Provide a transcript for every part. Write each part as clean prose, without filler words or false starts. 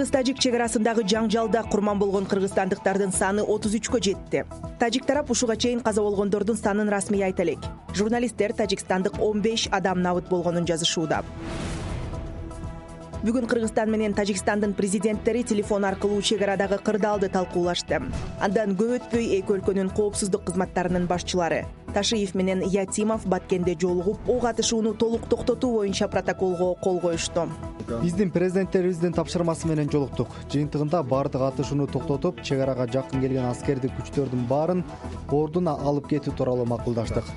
Кыргыз-тажик чек арасындагы жаңжалда курман болгон кыргызстандыктардын саны 33кө жетти. Тажик тарап ушуга чейин каза болгондордун санын расмий айта элек. Журналисттер тажикстандык 15 адам набыт болгонун жазышууда. Бүгүн Кыргызстан менен Тажикстандын президенттери телефон аркылуу чек арадагы кырдаалды талкуулашты. Андан көп өтпөй эки өлкөнүн коопсуздук кызматтарынын башчылары Ташиев менен Ятимов Баткенде жолугуп, ок атышууну толук токтотуу боюнча протоколго кол коюшту. Биздин президенттерибиздин тапшырмасы менен жолуктук. Жыйынтыгында баардык атышууну токтотуп, чек арага жакын келген аскердик күчтөрдүн баарын ордуна алып кетүү тууралуу макулдаштык.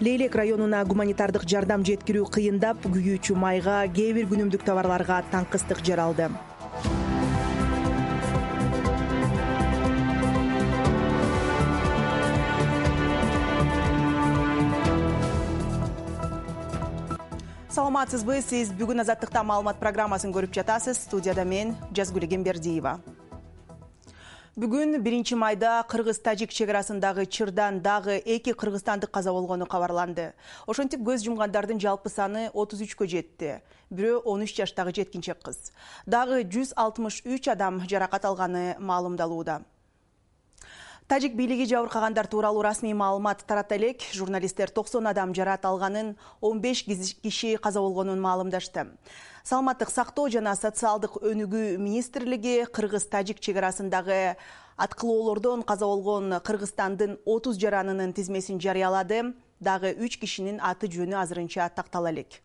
Лейлек районуна гуманитардык жардам жеткирүү кыйындап, күйүүчү майга, кээ бир күнүмдүк товарларга таңкыстык жаралды. Саламатсызбы, сиз бүгүн Азаттыкта маалымат программасын көрүп жатасыз. Студияда мен Жазгүл Эмгембердиева. Бүгүн 1-майда Кыргыз-Тажик чек арасындагы чырдан дагы 2 кыргызстандык каза болгону кабарланды. Ошентип көз жумгандардын жалпы саны 33кө жетти. Бирөө 13 жаштагы жеткинчек кыз. Дагы 163 адам жаракат алганы маалымдалууда. Тажик бийлиги жабыркагандар тууралуу расмий маалымат тарата элек. Журналисттер 90 адам жаракат алганын, 15 киши каза болгонун маалымдашты. Саламаттык сактоо жана социалдык өнүгүү министрлиги Кыргыз-Тажик чек арасындагы аткылоолордон каза болгон Кыргызстандын 30 жаранынын тизмесин жарыялады. Дагы 3 кишинин аты жөнү азырынча тактала элек.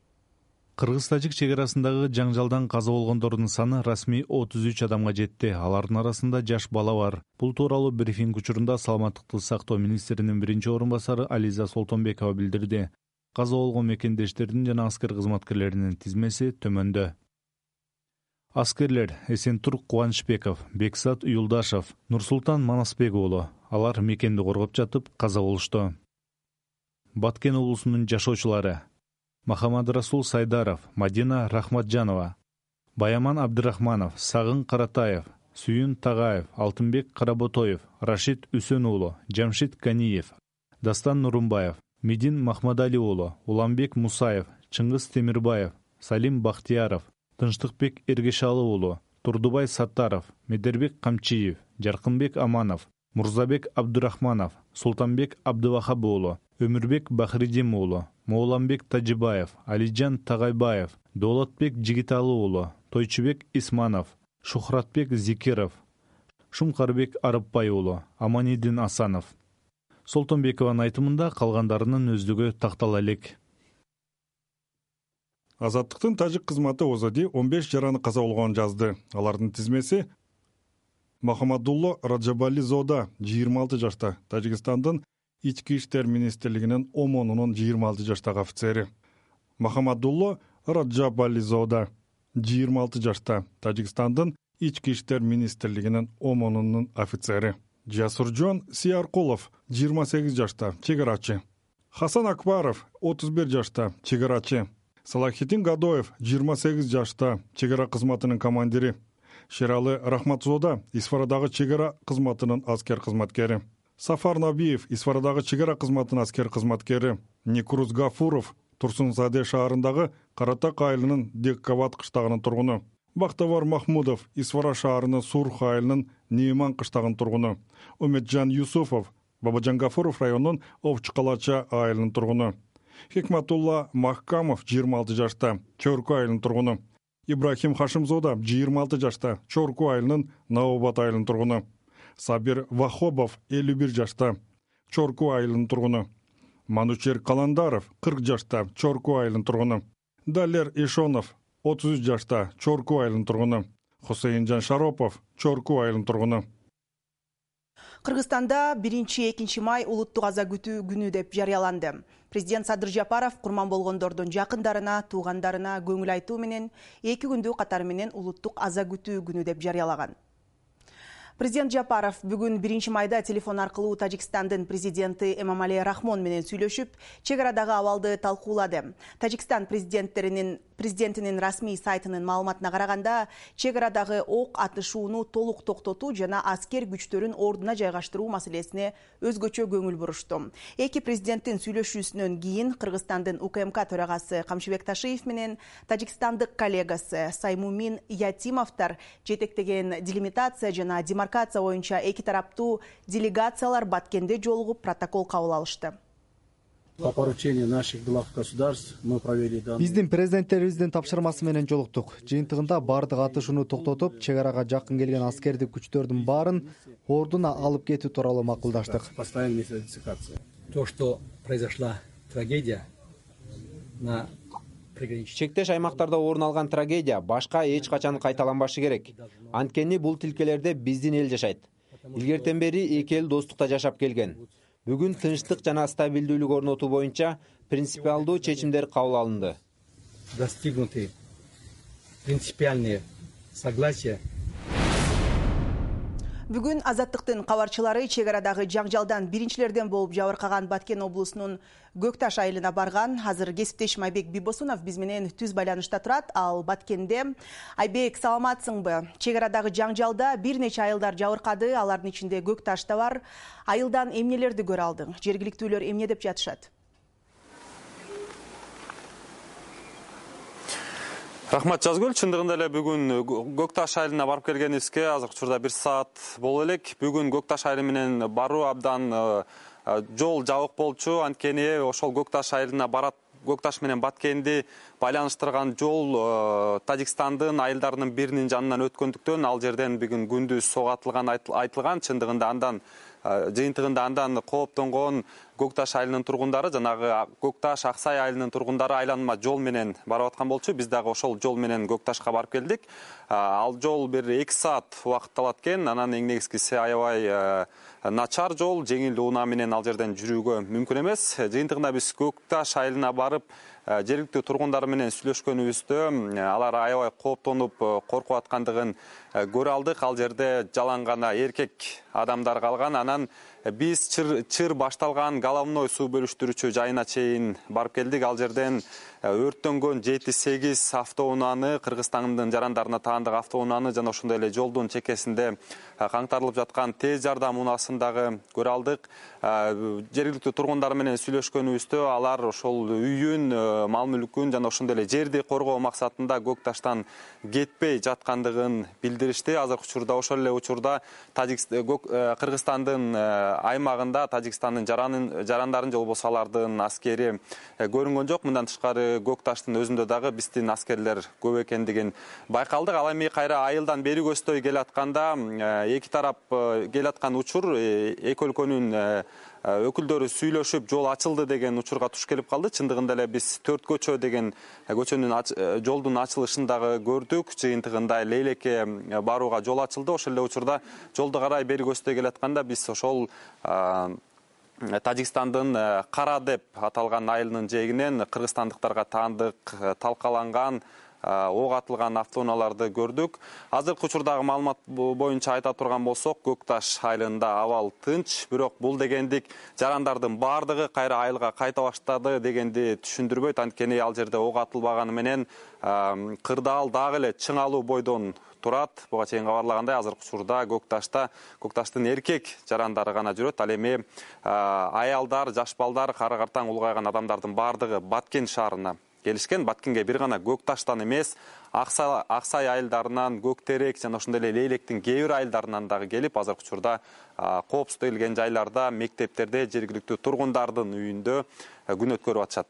Кыргыз-Тажик чек арасындагы жаңжалдан каза болгондордун саны расмий 33 адамга жетти. Алардын арасында жаш бала бар. Бул тууралуу брифинг учурунда Саламаттыкты сактоо министринин биринчи орун басары Ализа Солтонбекова билдирди. Каза болгон мекендештердин жана аскер кызматкерлеринин тизмеси төмөндө. Аскерлер Эсентур Кубанычбеков, Бексат Юлдашев, Нурсултан Манасбек уулу. Алар мекенди коргоп жатып каза болушту. Баткен облусунун жашоочулары Махамадрасул Сайдаров, Мадина Рахматжанова, Баяман Абдырахманов, Сагын Каратаев, Сүйүн Тагаев, Алтынбек Каработоев, Рашид Үсөн уулу, Жамшит Каниев, Дастан Нурумбаев, Медин Махмадали уулу, Уламбек Мусаев, Чыңгыз Темирбаев, Салим Бахтияров, Тынчтыкбек Эргешалы уулу, Турдубай Саттаров, Медербек Камчиев, Жаркынбек Аманов, Мурзабек Абдурахманов, Султанбек Абдывахаб уулу, Өмүрбек Бахридим уулу, Моуламбек Тажибаев, Алиджан Тагайбаев, Доолатбек Жигиталы уулу, Тойчубек Исманов, Шухратбек Зикиров, Шумкарбек Арапбай уулу, Аманидин Асанов. Солтонбекованын айтымында калгандарынын өздүгү тактала элек. Азаттыктын тажик кызматы ОЗД 15 жараны каза болгонун жазды. Алардын тизмеси Махамадулло Раджабализода 26 жашта, Тажикстандын Ички иштер министрлигинин ОМОНунун 26 жаштагы офицери. Махамадулло Раджабализода 26 жашта, Тажикстандын Ички иштер министрлигинин ОМОНунун офицери. Жасуржон Сияркулов 28 жашта, чегарачы. Хасан Акбаров 31 жашта, чегарачы. Салахитин Гадоев 28 жашта, чегара кызматынын командири. Шералы Рахматзода Исфарадагы чегара кызматынын аскер кызматкери. Сафар Набиев Исфарадагы чегара кызматынын аскер кызматкери. Никуруз Гафуров Турсунзаде шаарындагы Каратак айылынын Деккабат кыштагынын тургуну. Бактовар Махмудов Исфара шаарынын Сурх айылынын Нейман кыштагынын тургуну. Умеджан Юсуфов Бабажан Гафуров районунун Овчкалача айылынын тургуну. Хикматулла Махкамов 26 жашта, Чорку айылынын тургуну. Ибрахим Хашимзода 26 жашта, Чорку айылынын Наобат айылынын тургуну. Сабир Вахобов 51 жашта, Чорку айылынын тургуну. Манучер Каландаров 40 жашта, Чорку айылынын тургуну. Далер Ишонов 33 жашта, Чорку айылынын тургуну. Хусейинжан Шаропов Чорку айылынын тургуну. Кыргызстанда 1-2 май улуттук аза күтүү күнү деп жарыяланды. Президент Садыр Жапаров курман болгондордун жакындарына, туугандарына көңүл айтуу менен 2 күндү катары менен улуттук аза күтүү күнү деп жарыялаган. Президент Жапаров бүгүн 1-майда телефон аркылуу Тажикстандын президенти Эмомали Рахмон менен сүйлөшүп, чек арадагы абалды талкуулады. Тажикстан президенттеринин Президентинин расмий сайтынын маалыматына караганда, чек арадагы ок атышууну толук токтотуу жана аскер күчтөрүн ордуна жайгаштыруу маселесине өзгөчө көңүл бурушту. Эки президенттин сүйлөшүүсүнөн кийин Кыргызстандын УКМК төрагасы Камшыбек Ташиев менен тажикстандык коллегасы Саймумин Ятимовдор жетектеген делимитация жана демаркация боюнча эки тараптуу делегациялар Баткенде жолугуп протокол кабыл алышты. По поручению наших глав государств мы провели данный. Биздин президенттерибиздин тапшырмасы менен жолуктук. Жыйынтыгында бардык атышууну токтотуп, чек арага жакын келген аскердик күчтөрдүн баарын ордуна алып кетүү тууралуу макулдаштык. Постоянная методификация. То, что произошла трагедия на чектеш аймактарда орун алган трагедия башка эч качан кайталанбашы керек. Анткени бул тилкелерде биздин эл жашайт. Илгертен бери эки эл достукта жашап келген. Бүгүн тынчтык жана стабилдүүлүк орнотуу боюнча принципиалдуу чечимдер кабыл алынды. Достигнуты принципиальные согласия. Бүгүн Азаттыктын кабарчылары чек арадагы жаңжалдан биринчилерден болуп жабыркаган Баткен облусунун Көкташ айылына барган. Азыр кесиптешим Айбек Бибосунов биз менен түз байланышта турат. Ал Баткенде. Айбек, саламатсыңбы? Чек арадагы жаңжалда бир нече айылдар жабыркады, алардын ичинде Көкташ да бар. Айылдан эмнелерди көрө алдың? Жергиликтүүлөр эмне деп жатышат? Рахмат Жазгүл, чындыгында эле бүгүн Көкташ айылына барып келгенибизге азыркы учурда 1 саат боло элек. Бүгүн Көкташ айылы менен баруу абдан жол жабык болчу. Анткени ошол Көкташ айылына барат, Көкташ менен Баткенди байланыштырган жол Тажикстандын айылдарынын биринин жанынан өткөндүктөн ал жерден бүгүн күндүз сого атылган айтылган. Чындыгында андан жыйынтыгында андан кооптонгон Көкташ айылынын тургундары, жанагы Көкташ Аксай айылынын тургундары айланма жол менен барып аткан болчу. Биз дагы ошол жол менен Көкташка барып келдик. Ал жол бир 2 саат убакыт алат экен. Анан эң негизгиси аябай начар жол, жеңил унаа менен ал жерден жүрүүгө мүмкүн эмес. Жыйынтыгында биз Көкташ айылына барып жергиликтүү тургундар менен сүйлөшкөнүбүздө алар аябай кооптонуп коркуп аткандыгын көрө алдык. Ал жерде жалаң гана эркек адамдар калган. Анан биз чыр башталган головной суу бөлүштүрүүчү жайына чейин барып келдик. Ал жерден өрттөнгөн 7-8 автоунааны, Кыргызстандын жарандарына таандык автоунааны жана ошондой эле жолдун чекесинде каңтарылып жаткан тез жардам унаасын дагы көрө алдык. Жергиликтүү тургундар менен сүйлөшкөнүбүздө алар ошол үйүн, мал мүлкүн жана ошондой эле жерди коргоо максатында Көкташтан кетпей жаткандыгын билдиришти. Азыркы учурда ошол эле учурда Кыргызстандын аймагында Тажикстандын жарандарын же болбосо алардын аскери көрүнгөн жок. Мындан тышкары Көкташтын өзүндө дагы биздин аскерлер көп экендигин байкалдык. Ал эми кайра айылдан бери көздөй келатканда эки тарап келаткан учур эки өлкөнүн өкүлдөрү сүйлөшүп жол ачылды деген учурга туш келип калды. Чындыгында эле биз 4 көчө деген көчөнүн жолдун ачылышын дагы көрдүк. Жыйынтыгында Лейлекке барууга жол ачылды. Ошол эле учурда жолду карай бери көздөй келатканда биз ошол Тажикстандын Кара деп аталган айылынын жээгинен кыргызстандыктарга таандык талкаланган ок атылган автоунааларды көрдүк. Азыркы учурдагы маалымат боюнча айта турган болсок, Көкташ айылында абал тынч, бирок бул дегендик жарандардын бардыгы кайра айылга кайта баштады дегенди түшүндүрбөйт. Анткени ал жерде ок атылбаганы менен кырдаал дагы эле чыңалуу бойдон турат. Буга чейин кабарлагандай, азыркы учурда Көкташтын эркек жарандары гана жүрөт. Ал эми аялдар, жаш балдар, кары картаң улгайган адамдардын бардыгы Баткен шаарына келишкен. Баткенге бир гана Көкташтан эмес, Аксай айылдарынан, Көктерек жана ошондой эле Лейлектин кээ бир айылдарынан дагы келип, азыркы учурда коопсуздалган жайларда, мектептерде, жергиликтүү тургундардын үйүндө күн өткөрүп атышат.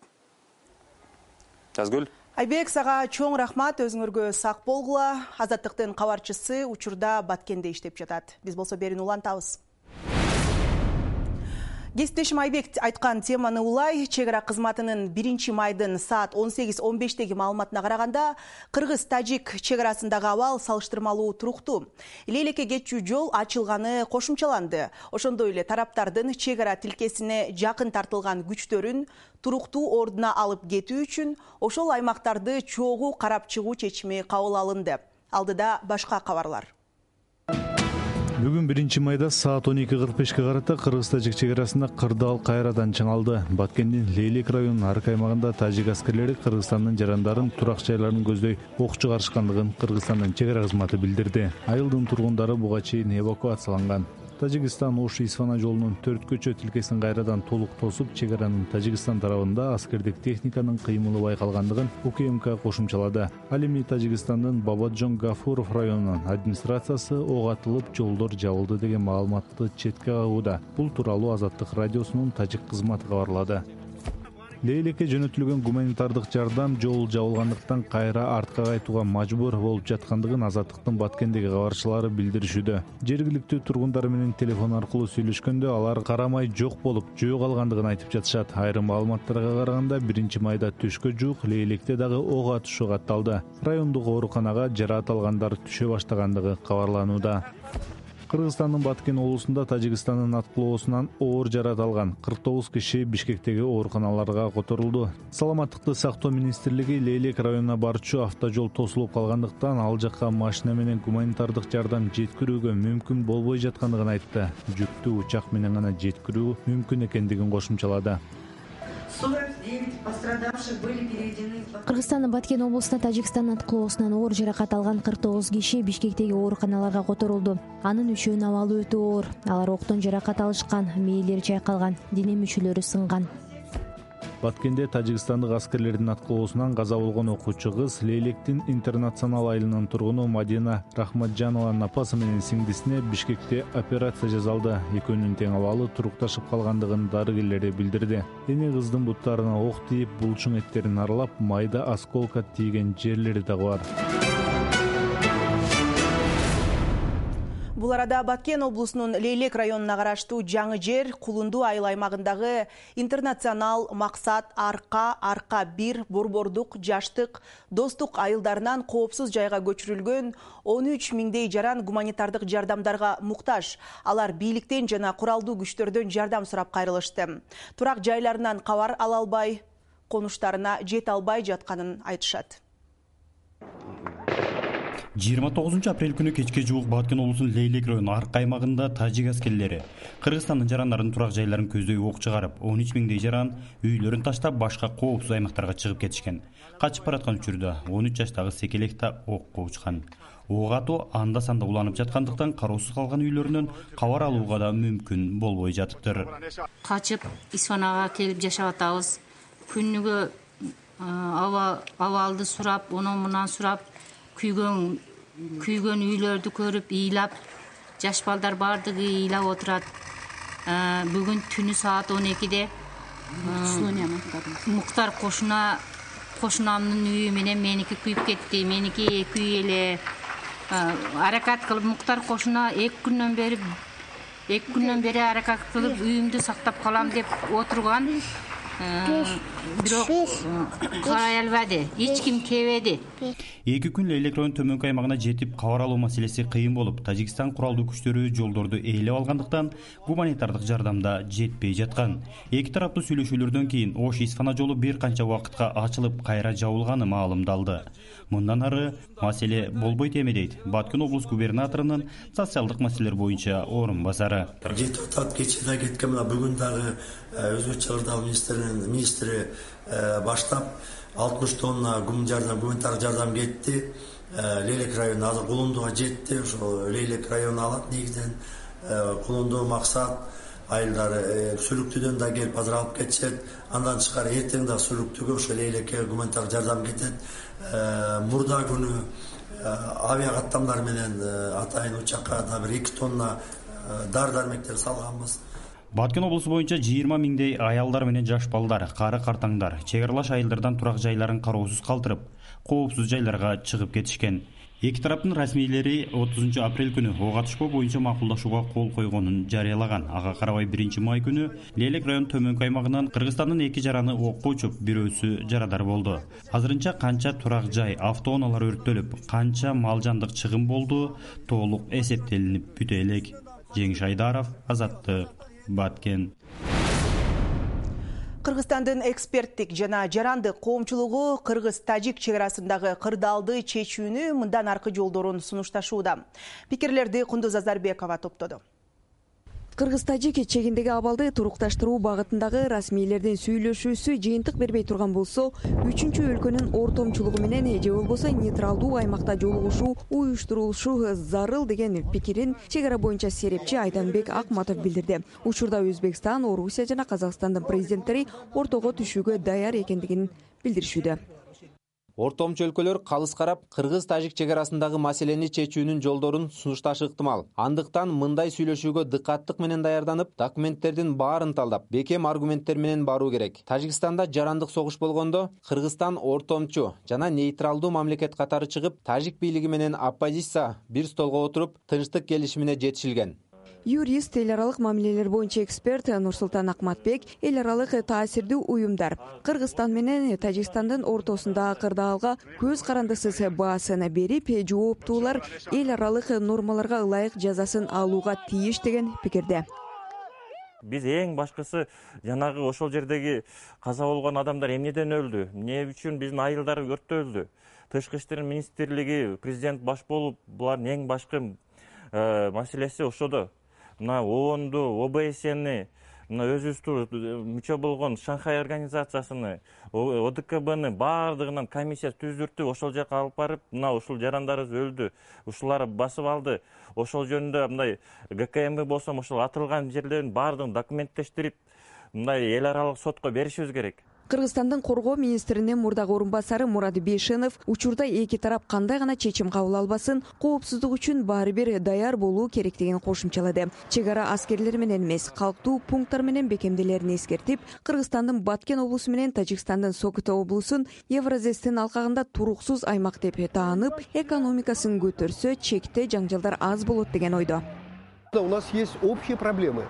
Жазгүл. Айбек, сага чоң рахмат, өзүңөргө сак болгула. Азаттыктын кабарчысы учурда Баткенде иштеп жатат. Биз болсо берүүнү улантабыз. Кесиптешим Айбек айткан теманы улай, чек ара кызматынын 1-майдын саат 18:15 маалыматына караганда, Кыргыз-Тажик чек арасындагы абал салыштырмалуу туруктуу. Лейлекке кетчү жол ачылганы кошумчаланды. Ошондой эле тараптардын чек ара тилкесине жакын тартылган күчтөрүн туруктуу ордуна алып кетүү үчүн ошол аймактарды чогуу карап чыгуу чечими кабыл алынды. Алдыда башка кабарлар. Бүгүн 1 майда саат 12:45 карата кыргыз-тажик чек арасында кырдаал кайрадан чыңалды. Баткендин Лейлек районунун арка аймагында тажик аскерлери Кыргызстандын жарандарын турак жайларын көздөй ок чыгарышкандыгын Кыргызстандын чек ара кызматы билдирди. Айылдын тургундары буга чейин эвакуацияланган. Тажикстан Ош-Исфана жолунун 4 көчө тилкесин кайрадан толук тосуп, чек аранын Тажикстан тарабында аскердик техниканын кыймылы байкалгандыгын УКМК кошумчалады. Ал эми Тажикстандын Бабаджон Гафуров районунун администрациясы ок атылып, жолдор жабылды деген маалыматты четке кагууда. Бул тууралуу Азаттык радиосунун тажик кызматы кабарлады. Лейлекке жөнөтүлгөн гуманитардык жардам жол жабылгандыктан кайра артка кайтууга мажбур болуп жаткандыгын Азаттыктын Баткендеги кабарчылары билдиришүүдө. Жергиликтүү тургундар менен телефон аркылуу сүйлөшкөндө алар карамай жок болуп, жөө калгандыгын айтып жатышат. Айрым маалыматтарга караганда 1 майда түшкө жуук Лейлекте дагы ок атышуу катталды. Райондук ооруканага жараат алгандар түшө баштагандыгы кабарланууда. Кыргызстандын Баткен облусунда Тажикстандын аткылоосунан оор жараат алган 49 киши Бишкектеги ооруканаларга которулду. Саламаттыкты сактоо министрлиги Лейлек районуна барчу автожол тосулуп калгандыктан ал жакка машина менен гуманитардык жардам жеткирүүгө мүмкүн болбой жаткандыгын айтты. Жүктү учак менен гана жеткирүү мүмкүн экендигин кошумчалады. Кыргызстандын Баткен облусунда Тажикстандын аткылоосунан оор жаракат алган 49 киши Бишкектеги ооруканаларга которулду. Анын 3-үнүн абалы өтө оор. Алар октон жаракат алышкан, мээлери чайкалган, дене мүчөлөрү сынган. Баткенде Тажикстандык аскерлердин аткылоосунан каза болгон окуучу кыз Лейлектин интернационал айылынын тургуну Мадина Рахматжанованын апасы менен сиңдисине Бишкекте операция жасалды. Экөөнүн тең абалы турукташып калгандыгын дарыгерлери билдирди. Эне кыздын буттарына ок тийип, булчуң эттерин аралап, майда осколка тийген жерлери дагы бар. Бул арада Баткен облусунун Лейлек районуна караштуу Жаңы Жер, Кулунду айыл аймагындагы Интернационал, Максат, Арка 1, Борбордук, Жаштык, Достук айылдарынан коопсуз жайга көчүрүлгөн 13 миңдей жаран гуманитардык жардамдарга муктаж. Алар бийликтен жана куралдуу күчтөрдөн жардам сурап кайрылышты. Турак жайларынан кабар ала албай, конуштарына жете албай жатканын айтышат. 29 апрель күнү кечке жуук Баткен облусунун Лейлек районунун арка аймагында тажик аскерлери Кыргызстандын жарандарын турак жайларын көздөй ок чыгарып, 13 миңдей жаран үйлөрүн таштап башка коопсуз аймактарга чыгып кетишкен. Качып бараткан учурда 13 жаштагы секелек да окко учкан. Ок атуу анда-санда уланып жаткандыктан кароосуз калган үйлөрүнөн кабар алууга да мүмкүн болбой жатыптыр. Качып Исфанага келип жашап атабыз. Күнүгө абалды сурап, онон-мунан сурап, күйгөн үйлөрдү көрүп, ыйлап, жаш балдар бардыгы ыйлап отурат. Бүгүн түнү саат 12-де Муктар кошунамдын үйү менен меники күйүп кетти. Меники 2 үй эле аракат кылып, Муктар кошуна 2 күндөн бери аракат кылып үйүмдү сактап калам деп отурган. Бирок карай албады, эч ким келбеди. 2 күн Лейлек районунун төмөнкү аймагына жетип, кабар алуу маселеси кыйын болуп, Тажикстан куралдуу күчтөрү жолдорду ээлеп алгандыктан гуманитардык жардамда жетпей жаткан. Эки тараптуу сүйлөшүүлөрдөн кийин Ош-Исфана жолу бир канча убакытка ачылып, кайра жабылганы маалымдалды. Мындан ары маселе болбойт эми дейт Баткен облус губернаторунун социалдык маселелер боюнча орун басары. Жетип атат, кече да кеткен, мына бүгүн дагы өзгөчө чыгырдагы министри баштап 60 тонна гуманитардык жардам кетти. Лейлек районуна азыр Кулундуга жетти. Ошо Лейлек району алат негизинен. Кулунду, Максат айылдары Сүлүктүдөн да келип азыр алып кетишет. Андан тышкары эртең да Сүлүктүгө ошо Лейлекке гуманитардык жардам кетет. Мурда күнү авиакаттамдар менен атайын учакка да бир 2 тонна дары-дармектер салганбыз. Баткен облусу боюнча 20 миңдей аялдар менен жаш балдар, кары картаңдар чек аралаш айылдардан турак жайларын кароосуз калтырып, коопсуз жайларга чыгып кетишкен. Эки тараптын расмийлери 30 апрель күнү ок атышпоо боюнча макулдашууга кол койгонун жарыялаган. Ага карабай 1 май күнү Лейлек районунун төмөнкү аймагынан Кыргызстандын 2 жараны окко учуп, бирөөсү жарадар болду. Азырынча канча турак жай, автоунаалар өрттөлүп, канча мал жандык чыгым болду, толук эсептелинип бүтө элек. Жеңиш Айдаров, Азаттык, Баткен. Кыргызстандын эксперттик жана жарандык коомчулугу кыргыз-тажик чек арасындагы кырдаалды чечүүнү мындан аркы жолдорун сунушташууда. Пикирлерди Кундуз Азарбекова топтоду. Кыргыз-тажик чегиндеги абалды турукташтыруу багытындагы расмийлердин сүйлөшүүсү жыйынтык бербей турган болсо, үчүнчү өлкөнүн ортомчулугу менен же болбосо нейтралдуу аймакта жолугушуу уюштурулушу зарыл деген пикирин чек ара боюнча серепчи Айданбек Акматов билдирди. Учурда Өзбекстан, Орусия жана Казакстандын президенттери ортого түшүүгө даяр экендигин билдиришүүдө. Ортомчу өлкөлөр калыс карап, кыргыз-тажик чек арасындагы маселени чечүүнүн жолдорун сунушташы ыктымал. Андыктан мындай сүйлөшүүгө дыкаттык менен даярданып, документтердин баарын талдап, бекем аргументтер менен баруу керек. Тажикстанда жарандык согуш болгондо, Кыргызстан ортомчу жана нейтралдуу мамлекет катары чыгып, тажик бийлиги менен оппозиция бир столго отуруп, тынчтык келишимине жетишилген. Юрист, эл аралык мамилелер боюнча эксперт Нурсултан Акматбек эл аралык таасирдүү уюмдар Кыргызстан менен Тажикстандын ортосундагы кырдаалга көз карандысыз баасын берип, жооптуулар эл аралык нормаларга ылайык жазасын алууга тийиш деген пикирде. Биз эң башкысы жанагы ошол жердеги каза болгон адамдар эмнеден өлдү, эмне үчүн биздин айылдар өрттө өлдү, тышкы иштер министрлиги, президент баш болуп, булардын эң башкы маселеси ошодо. Мына ООНду, ОБСени, мына өзүбүздүн мүчө болгон Шанхай организациясыны, ОДКБны баардыгынан комиссия түздүртүп, ошол жака алып барып, мына ушул жарандарыбыз өлдү, ушулар басып алды. Ошол жөнүндө мындай ГКМ болсо, ошол атылган жерлерин баардыгын документтештирип, мындай эл аралык сотко беришибиз керек. Кыргызстандын коргоо министринин мурдагы орун басары Мурат Бейшенов учурда эки тарап кандай гана чечим кабыл албасын, коопсуздук үчүн баары бир даяр болуу керектигин кошумчалады. Чек ара аскерлер менен эмес, калктуу пункттар менен бекемделерин эскертип, Кыргызстандын Баткен облусу менен Тажикстандын Сокото облусун Евразестин алкагында туруксуз аймак деп таанып, экономикасын көтөрсө, чекте жаңжалдар аз болот деген ойдо. У нас есть общие проблемы.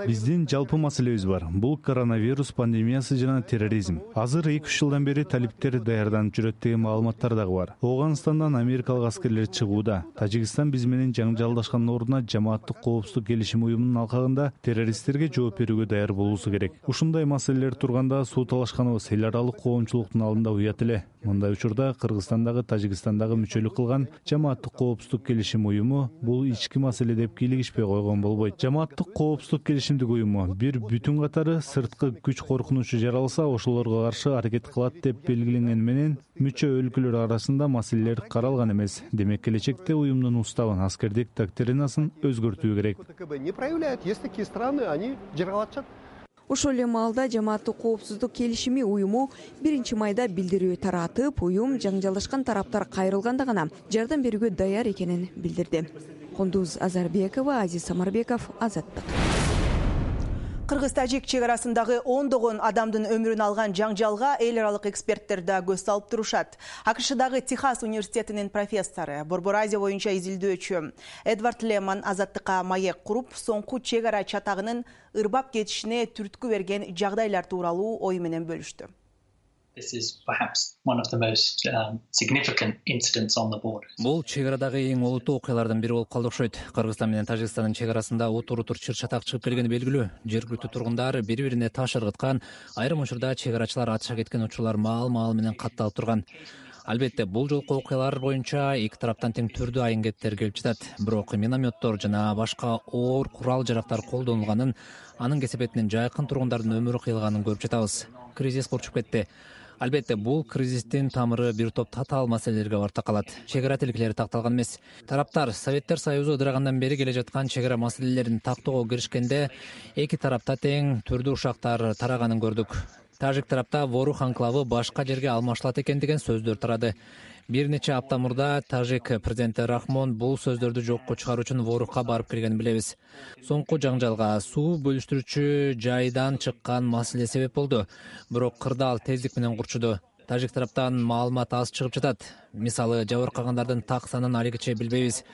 Биздин жалпы маселебиз бар. Бул коронавирус пандемиясы жана терроризм. Азыр 2-3 жылдан бери талиптер даярданып жүрөт деген маалыматтар дагы бар. Ооганстандан америкалык аскерлер чыгууда. Тажикстан биз менен жаңжалдашкан ордуна жамааттык коопсуздук келишим уюмунун алкагында террористтерге жооп берүүгө даяр болуусу керек. Ушундай маселелер турганда суу талашканыбыз эл аралык коомчулуктун алдында уят эле. Мындай учурда Кыргызстандагы, Тажикстандагы мүчөлүк кылган жамааттык коопсуздук келишим уюму бул ички маселе деп кийлигишпей койгон болбойт. Жамааттык коопсуздук келишимдик уюму бир бүтүн катары сырткы күч коркунучу жаралса, ошолорго каршы аракет кылат деп белгиленгени менен мүчө өлкөлөр арасында маселелер каралган эмес. Демек, келечекте уюмдун уставын, аскердик доктринасын өзгөртүү керек. Не проявляют, есть такие страны, они жыргалатышат. Ошол эле маалда жамааттык коопсуздук келишими уюму 1-майда билдирүү таратып, уюм жаңжалдашкан тараптар кайрылганда гана жардам берүүгө даяр экенин билдирди. Кундуз Азарбекова, Азиз Самарбеков, Азаттык. Кыргыз-тажик чек арасындагы ондогон адамдын өмүрүн алган жаңжалга эл аралык эксперттер да көз салып турушат. АКШдагы Техас университетинин профессору, Борбор Азия боюнча изилдөөчү Эдвард Леман Азаттыкка маек куруп, соңку чек ара чатагынын ырбап кетишине түрткү берген жагдайлар тууралуу ою менен бөлүштү. Бул чек арадагы эң олуттуу окуялардын бири болуп калды окшойт. Кыргызстан менен Тажикстандын чек арасында утур-утур чыр-чатак чыгып келгени белгилүү. Жергиликтүү тургундар бири-бирине таш ыргыткан, айрым учурда чек арачылар атыша кеткен учурлар маал-маал менен катталып турган. Албетте, бул жолку окуялар боюнча эки тараптан тең түрдүү айын-кеттер келип жатат. Бирок минометтор жана башка оор курал-жарактар колдонулганын, анын кесепетинен жайкын тургундардын өмүрү кыйылганын көрүп жатабыз. Кризис урчуп кетти. Албетте, бул кризистин тамыры бир топ татаал маселелерге барып такалат. Чек ара тилкелери такталган эмес. Тараптар Советтер Союзу ыдырагандан бери келе жаткан чек ара маселелерин тактоого киришкенде эки тарапта тең түрдүү ушактар тараганын көрдүк. Тажик тарапта Ворух анклавы башка жерге алмашылат экен деген сөздөр тарады. Бир нече апта мурда тажик президенти Рахмон бул сөздөрдү жокко чыгаруу үчүн Ворухка барып келгенин билебиз. Соңку жаңжалга суу бөлүштүрүүчү жайдан чыккан маселе себеп болду. Бирок кырдаал тездик менен курчуду. Тажик тараптан маалымат аз чыгып жатат. Мисалы, жабыркагандардын так санын алигиче билбейбиз.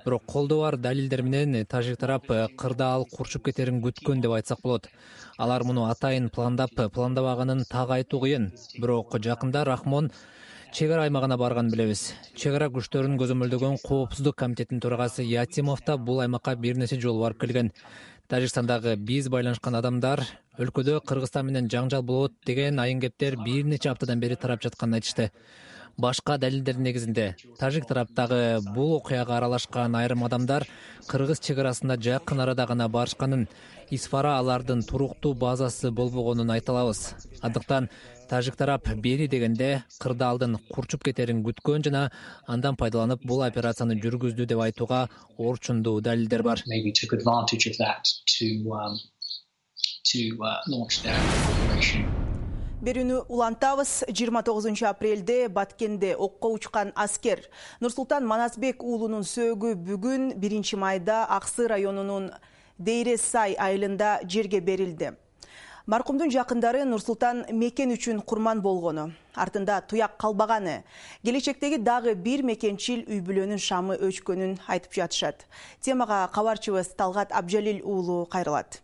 Бирок колдо бар далилдер менен тажик тарап кырдаал курчуп кетерин күткөн деп айтсак болот. Алар муну атайын пландабаганын так айтуу кыйын. Бирок жакында Рахмон чек ара аймагына барганын билебиз. Чек ара күчтөрүн көзөмөлдөгөн коопсуздук комитетинин төрагасы Ятимов да бул аймакка бир нече жолу барып келген. Тажикстандагы биз байланышкан адамдар өлкөдө Кыргызстан менен жаңжал болот деген айын кептер бир нече аптадан бери тарап жатканын айтышты. Башка далилдердин негизинде тажик тараптагы бул окуяга аралашкан айрым адамдар Кыргыз чек арасында жакын арада гана барышканын, Исфара алардын туруктуу базасы болбогонун айта алабыз. Андыктан тажик тарап бери дегенде кырдаалдын курчуп кетерин күткөн жана андан пайдаланып бул операцияны жүргүздү деп айтууга орчундуу далилдер бар. Берүүнү улантабыз. 29 апрелде Баткенде окко учкан аскер Нурсултан Манасбек уулунун сөөгү бүгүн 1 майда Аксы районунун Дейрес-Сай айылында жерге берилди. Маркумдун жакындары Нурсултан мекен үчүн курман болгону, артында туяк калбаганы, келечектеги дагы бир мекенчил үй бүлөнүн шамы өчкөнүн айтып жатышат. Темага кабарчыбыз Талгат Абжалил уулу кайрылат.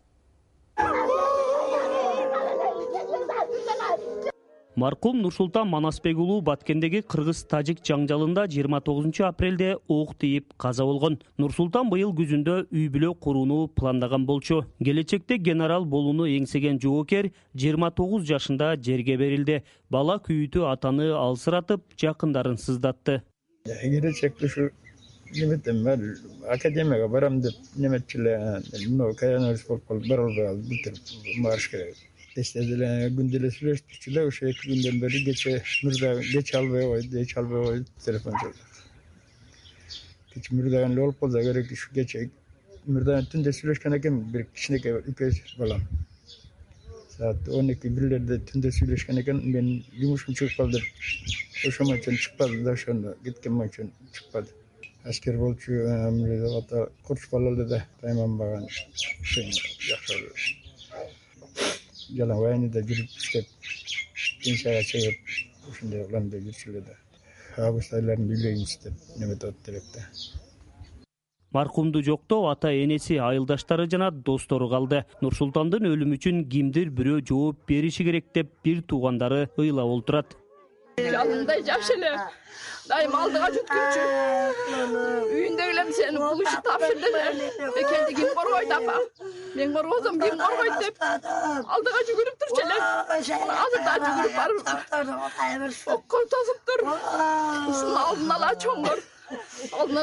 Маркум Нурсултан Манасбек уулу Баткендеги кыргыз-тажик жаңжалында 29 апрелде ок тийип каза болгон. Нурсултан быйыл күзүндө үй бүлө курууну пландаган болчу. Келечекте генерал болууну эңсеген жоокер 29 жашында жерге берилди. Бала күйүтү атаны алсыратып, жакындарын сыздатты. Келечекте ушу неметем, мен академияга барам деп неметчиле, каяныбыз болуп калып бара албай калдым, бүтүп барыш керек. Күнделе сүйлөштүк, ошо 2 күндөн бери кече албай койду, телефон чалды. Кече мурдаган эле болуп калса керек, ушу кече мурдаган түндө сүйлөшкөн экен, бир кичинекей 2 балам. Саат 12-1лерде түндө сүйлөшкөн экен, мен жумушум чыгып калды деп, ошомо үчүн чыкпады да, ошону кеткен үчүн чыкпады. Аскер болчу, ата курч балалы да, тайманбаган, жакшы. Жалаң вайнада жүрүп иштеп, пенсияга чыгып, ушундай уланда жүрчүлө да. Август айларында үйлөймүз деп неметип атты да. Маркумду жоктоо ата энеси, айылдаштары жана достору калды. Нурсултандын өлүмү үчүн кимдир бирөө жооп бериши керек деп бир туугандары ыйлап олтурат. Жанымдай жаш эле, дайым алдыга жүткүнчү. Үйүндөгүлөр сени бул ишти тапшырдылар. Мекенди ким коргойт апа? Мен коргозом, ким коргойт деп алдыга жүгүрүп турчу эле. Азыр да жүгүрүп барып окко тосуптур. Ушунун алдын ала чоңдор. Алдын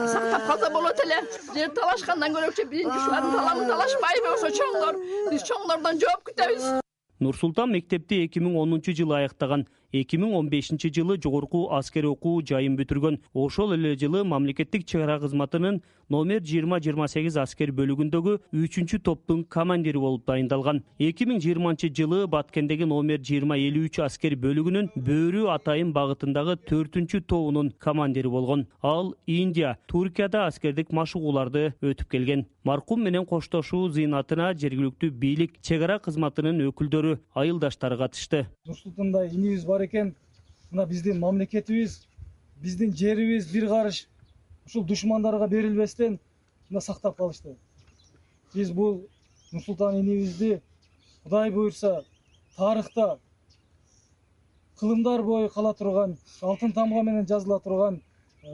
сактап калса болот эле. Жер талашкандан көрөкчү биринчи ушулардын таламын талашпайбы ошо чоңдор? Биз чоңдордон жооп күтөбүз. Нурсултан мектепти 2010 аяктаган. 2015 жылы жогорку аскер окуу жайын бүтүргөн. Ошол эле жылы мамлекеттик чек ара кызматынын номер 20-28 аскер бөлүгүндөгү 3-топтун командири болуп дайындалган. 2020 жылы Баткендеги номер 20-53 аскер бөлүгүнүн Бөөрү Атайын багытындагы 4-тобунун командири болгон. Ал Индия, Туркияда аскердик машыгууларды өтүп келген. Маркум менен коштошуу зыйнатына жергиликтүү бийлик, чек ара кызматынын өкүлдөрү, айылдаштары катышты. Нурсултандай инибиз бар экен, мына биздин мамлекетибиз, биздин жерибиз бир карыш ушул душмандарга берилбестен мына сактап калышты. Биз бул Нурсултан инибизди Кудай буйрса тарыхта кылымдар бою кала турган, алтын тамга менен жазыла турган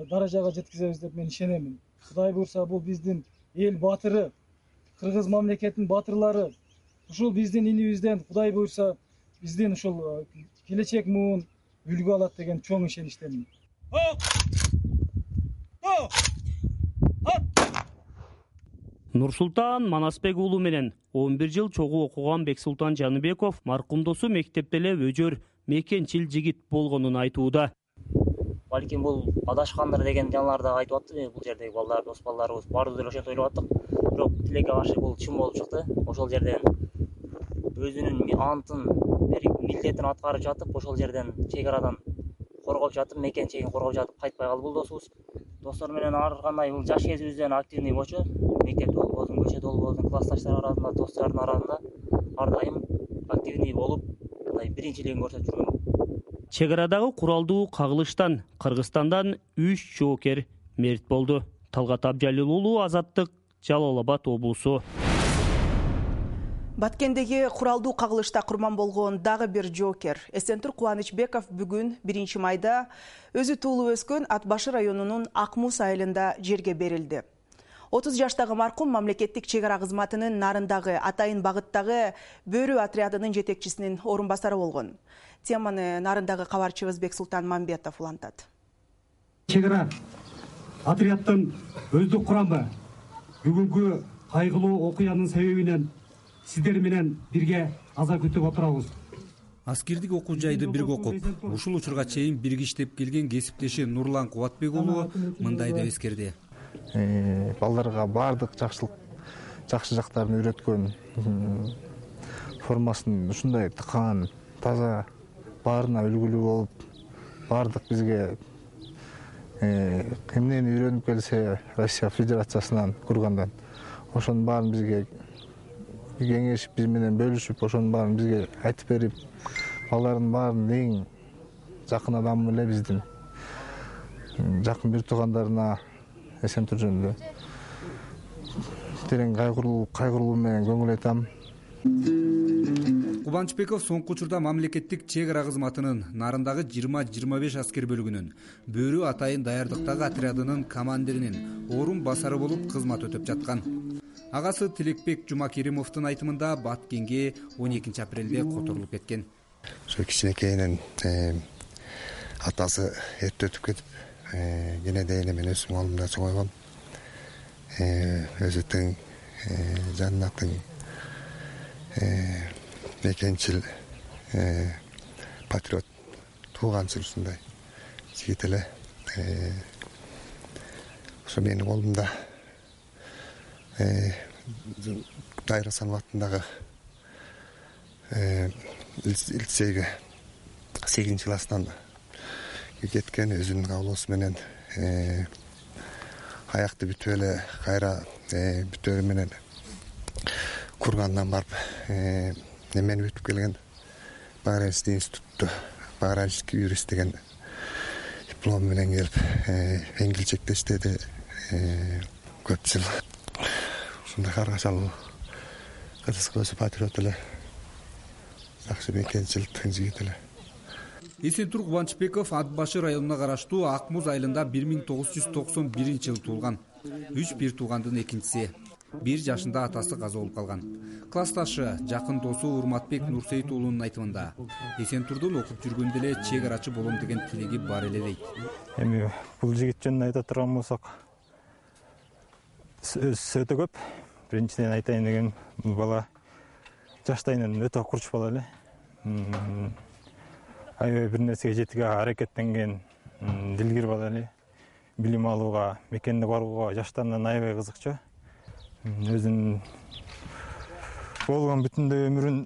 даражага жеткизебиз деп мен ишенемин. Кудай буйрса бул биздин эл батыры, кыргыз мамлекетинин батырлары, ушул биздин инибизден Кудай буйрса биздин ушул келечек муун үлгү алат деген чоң ишеничтемин. Нурсултан Манасбек уулу менен 11 жыл чогуу окуган Бексултан Жаныбеков маркумдосу мектепте эле өжөр мекенчил жигит болгонун айтууда. Балким бул адашкандыр деген жанлар да айтып атты. Бул жердеги балдар, дос балдарыбыз баардыгы деле ошентип ойлоп аттык. Бирок тилекке каршы бул чын болуп чыкты. Ошол жерден өзүнүн антын, милдетин аткарып жатып, ошол жерден чек арадан коргоп жатып, мекен чегин коргоп жатып кайтпай калды бул досубуз. Достор менен ар кандай бул жаш кезибизден активный болчу. Мектепте болбосун, көчөдө болбосун, классташтар арасында, достордун арасында ар дайым активный болуп, мындай биринчилигин көрсөтүп жүргөн. Чек арадагы куралдуу кагылыштан Кыргызстандан 3 жоокер мерт болду. Талгат Абжалил уулу, Азаттык, Жалал Абад облусу. Баткендеги куралдуу кагылышта курман болгон дагы бир жоокер Эсентур Кубанычбеков бүгүн 1 майда өзү туулуп өскөн Ат Башы районунун Акмуз айылында жерге берилди. 30 жаштагы маркум мамлекеттик чек ара кызматынын Нарындагы Атайын багыттагы Бөрү отрядынын жетекчисинин орун басары болгон. Теманы Нарындагы кабарчыбыз Бексултан Мамбетов улантат. Чек ара отряддын өздүк курамы бүгүнкү кайгылуу окуянын себебинен сиздер менен бирге аза күтүп отурабыз. Аскердик окуу жайды бирге окуп, ушул учурга чейин бирге иштеп келген кесиптеши Нурлан Кубатбек уулу мындай деп эскерди. Балдарга баардык жакшы жактарын үйрөткөн, формасын ушундай тыккан, таза, баарына үлгүлүү болуп, баардык бизге эмнени үйрөнүп келсе Россия Федерациясынан кургандан ошонун баарын бизге кеңешип, биз менен бөлүшүп, ошонун баарын бизге айтып берип, балдардын баарын эң жакын адамы эле биздин жакын бир туугандарына Эсентур жөнүндө терең кайгыруу менен көңүл айтам. Кубанычбеков соңку учурда мамлекеттик чек ара кызматынын Нарындагы 20-25 аскер бөлүгүнүн Бөрү Атайын даярдыктагы отрядынын командиринин орун басары болуп кызмат өтөп жаткан. Агасы Тилекбек Жумакеримовдун айтымында Баткенге 12 апрелде которулуп кеткен. Ошо кичинекейинен атасы эрте өтүп кетип, кене дейин мен өзүм колумда чоңойгом. Өзү тең жанына тең мекенчил патриот тууганчыл ушундай жигит эле. Ошо менин колумда Дайра Асанов атындагы лицейге 8-класстан кеткен, өзүнүн каалоосу менен аякты бүтүп эле кайра бүтөөрү менен кургандан барып немени бүтүп келген. Багаранский институтта багаранский юрист деген диплом менен келип эңгилчекте иштеди көп жыл. Ушундай каргашалуу кыргызга өзү патриот эле, жакшы мекенчил тең жигит эле. Эсентур Кубанычбеков Ат Башы районуна караштуу Ак Муз айылында 1991-жылы туулган. 3 бир туугандын экинчиси. 1 жашында атасы каза болуп калган. Классташы, жакын досу Урматбек Нурсейит уулунун айтымында Эсентурдун окуп жүргөндө эле чек арачы болом деген тилеги бар эле дейт. Эми бул жигит жөнүндө айта турган болсок, өтө көп. Биринчиден айтайын деген, бул бала жаштайынан өтө курч бала эле. Аябай бир нерсеге жетүүгө аракеттенген, дилгир бала эле. Билим алууга, мекенине барууга жаштарынан аябай кызыкчу. Өзүнүн болгон бүтүндөй өмүрүн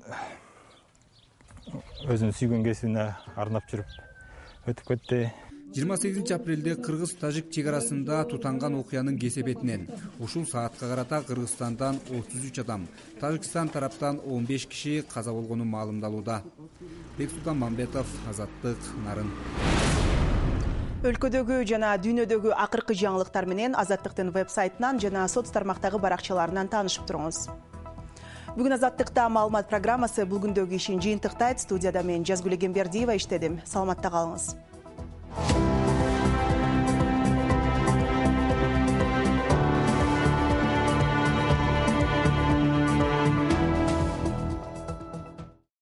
өзүнүн сүйгөн кесибине арнап жүрүп өтүп кетти. 28 апрелде кыргыз-тажик чек арасында тутанган окуянын кесепетинен ушул саатка карата Кыргызстандан 33 адам, Тажикстан тараптан 15 киши каза болгону маалымдалууда. Бексултан Мамбетов, Азаттык, Нарын. Өлкөдөгү жана дүйнөдөгү акыркы жаңылыктар менен Азаттыктын веб-сайтынан жана соц тармактагы баракчаларынан таанышып туруңуз. Бүгүн Азаттыкта маалымат программасы бул күндөгү ишин жыйынтыктайт. Студияда мен Жазгүл Эгембердиева иштедим. Саламатта калыңыз.